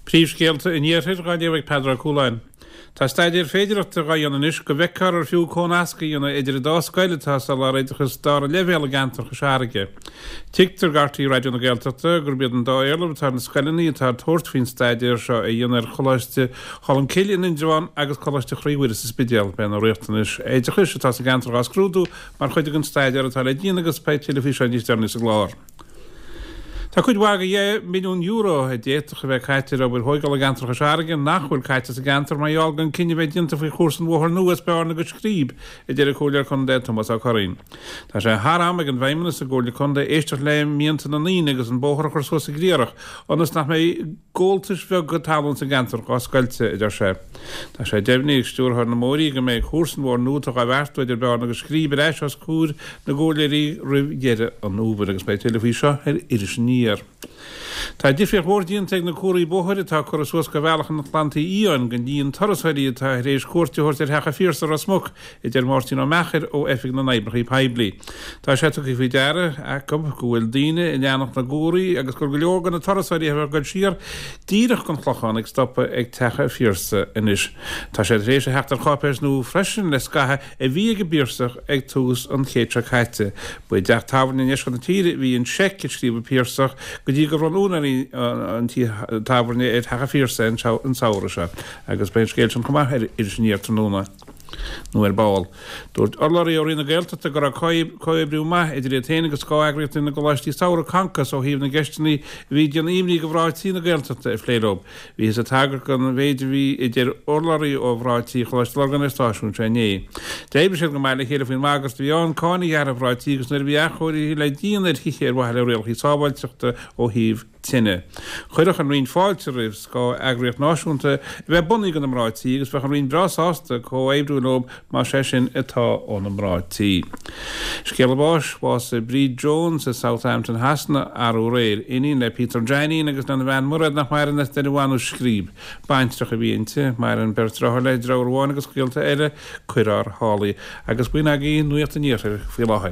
Príomhscéalta an Iarthair dhá léamh ag Peadar Ó Cualáin. Tá staidéar féidearthachta dhá dhéanamh anois go bhfeicfear ar fiú comhnasc a dhéanamh idir an dá scoil atá ag soláthar oideachas dara leibhéal i gceantar Chois Fharraige. Tuigtear do RTÉ Raidió na Gaeltachta gurb iad an dá éarlamh atá ar na scoileanna atá ag tabhairt faoin staidéar seo a dhéanamh ar Choláiste Cholmcille in Indreabhán agus Coláiste Chroí Mhuire sa Spidéal. Beidh na riachtanais oideachais atá sa gceantar dhá scrúdú mar chuid den staidéar atá le déanamh agus beidh tuilleadh faoi seo níos deireanaí sa gclár. Tá cuid mhaith de €10 milliún a d'fhéadfadh a bheith caite ar obair thóigeála i gceantar Chois Fharraige nach bhfuil caite sa gceantar mar gheall gan cinneadh a bheith déanta faoi chúrsa an bhóthair nua as Bearna go Scríb, a deir an Comhairleoir Contae Tomás Ó Curraoin. Tá sé thar am ag an bhFeidhmeannas sa gComhairle Contae éisteacht le mianta na ndaoine agus an bóthar a chur suas sa gCliarach ionas nach mbeidh gabháltais bheaga talún sa gceantar dhá scoilteadh, a deir sé. Tá sé deimhnithe ag Stiúrthóir na mBóithrí go mbeidh cúrsa an bhóthair nua atá dhá bheartú idir Bearna agus Scríb ar ais os comhair na gcomhairleoirí roimh dheireadh an fhómhair agus beidh tuilleadh faoi seo ar Iris Aniar. Tá difríocht mhór déanta ag na comharthaí bóthair atá curtha suas do bhealach an Ghleannta Fhiáin don líon turasóirí atá tar éis cuairt a thabhairt ar Theach an Phiarsaigh i Ros Muc, a deir Máirtín Ó Meachair ó Oifig na nOibreacha Poiblí. Tá sé tugtha faoi deara acu go bhfuil daoine ag leanacht na gcomharthaí agus gur go leor de na turasóirí a bheadh ag dul siar díreach don Chlochán ag stopadh ag Teach an Phiarsaigh anois. Tá sé tar éis a theacht ar cháipéis nua freisin le scaitheamh a bhí ag an bPiarsach ag tús an chéid seo caite. Ba i dteach tábhairne i ndeisceart na tíre a bhí an seic a scríobh an Piarsach go dtí gur bhronn úinéirí an tí tábhairne ar Theach an Phiarsaigh an samhradh seo. Agus beidh an scéal sin chomh maith ar Iris Aniar tráthnóna nó ar ball. Dúirt urlabhraí ó Roinn na Gaeltachta go raibh comhoibriú maith idir iad féin agus scáth-eagraíochtaí na gcoláistí samhraidh, Concos, ó thaobh na gceisteanna a bhí ag déanamh imní do mhná tí na Gaeltachta a phlé leo. Bhíothas ag tagairt don mhéid a bhí idir urlabhraí ó mhná tí Choláiste Lurgan ar stáisiún seo inné. D'oibrigh siad go maith le chéile faoin mbagairt a bhí ann cáin a ghearradh ar mhná tí agus nuair a bhí athchóirithe le déanamh ar thithe ar mhaithe le rialacha sábháilteachta ó thaobh tine. Chuirfeadh an Roinn fáilte roimh scáth-eagraíocht náisiúnta a bheith bunaithe do na mná tí agus bheadh an Roinn breá sásta comhoibriú leo más é sin atá ó na mná tí. Scéala báis, Bhásaigh Bríd Jones i Southampton Shasana arú aréir. Iníon le Peter Jainín agus lena bhean Mairéad nach maireann as Doire Bhanú Scríb. Baintreach a bhí inti. Maireann beirt deartháir léi, deartháir amháin agus gaolta eile. Cuir ár shálaí. Agus b'in agaibh Nuacht an Iarthair faoi láthair.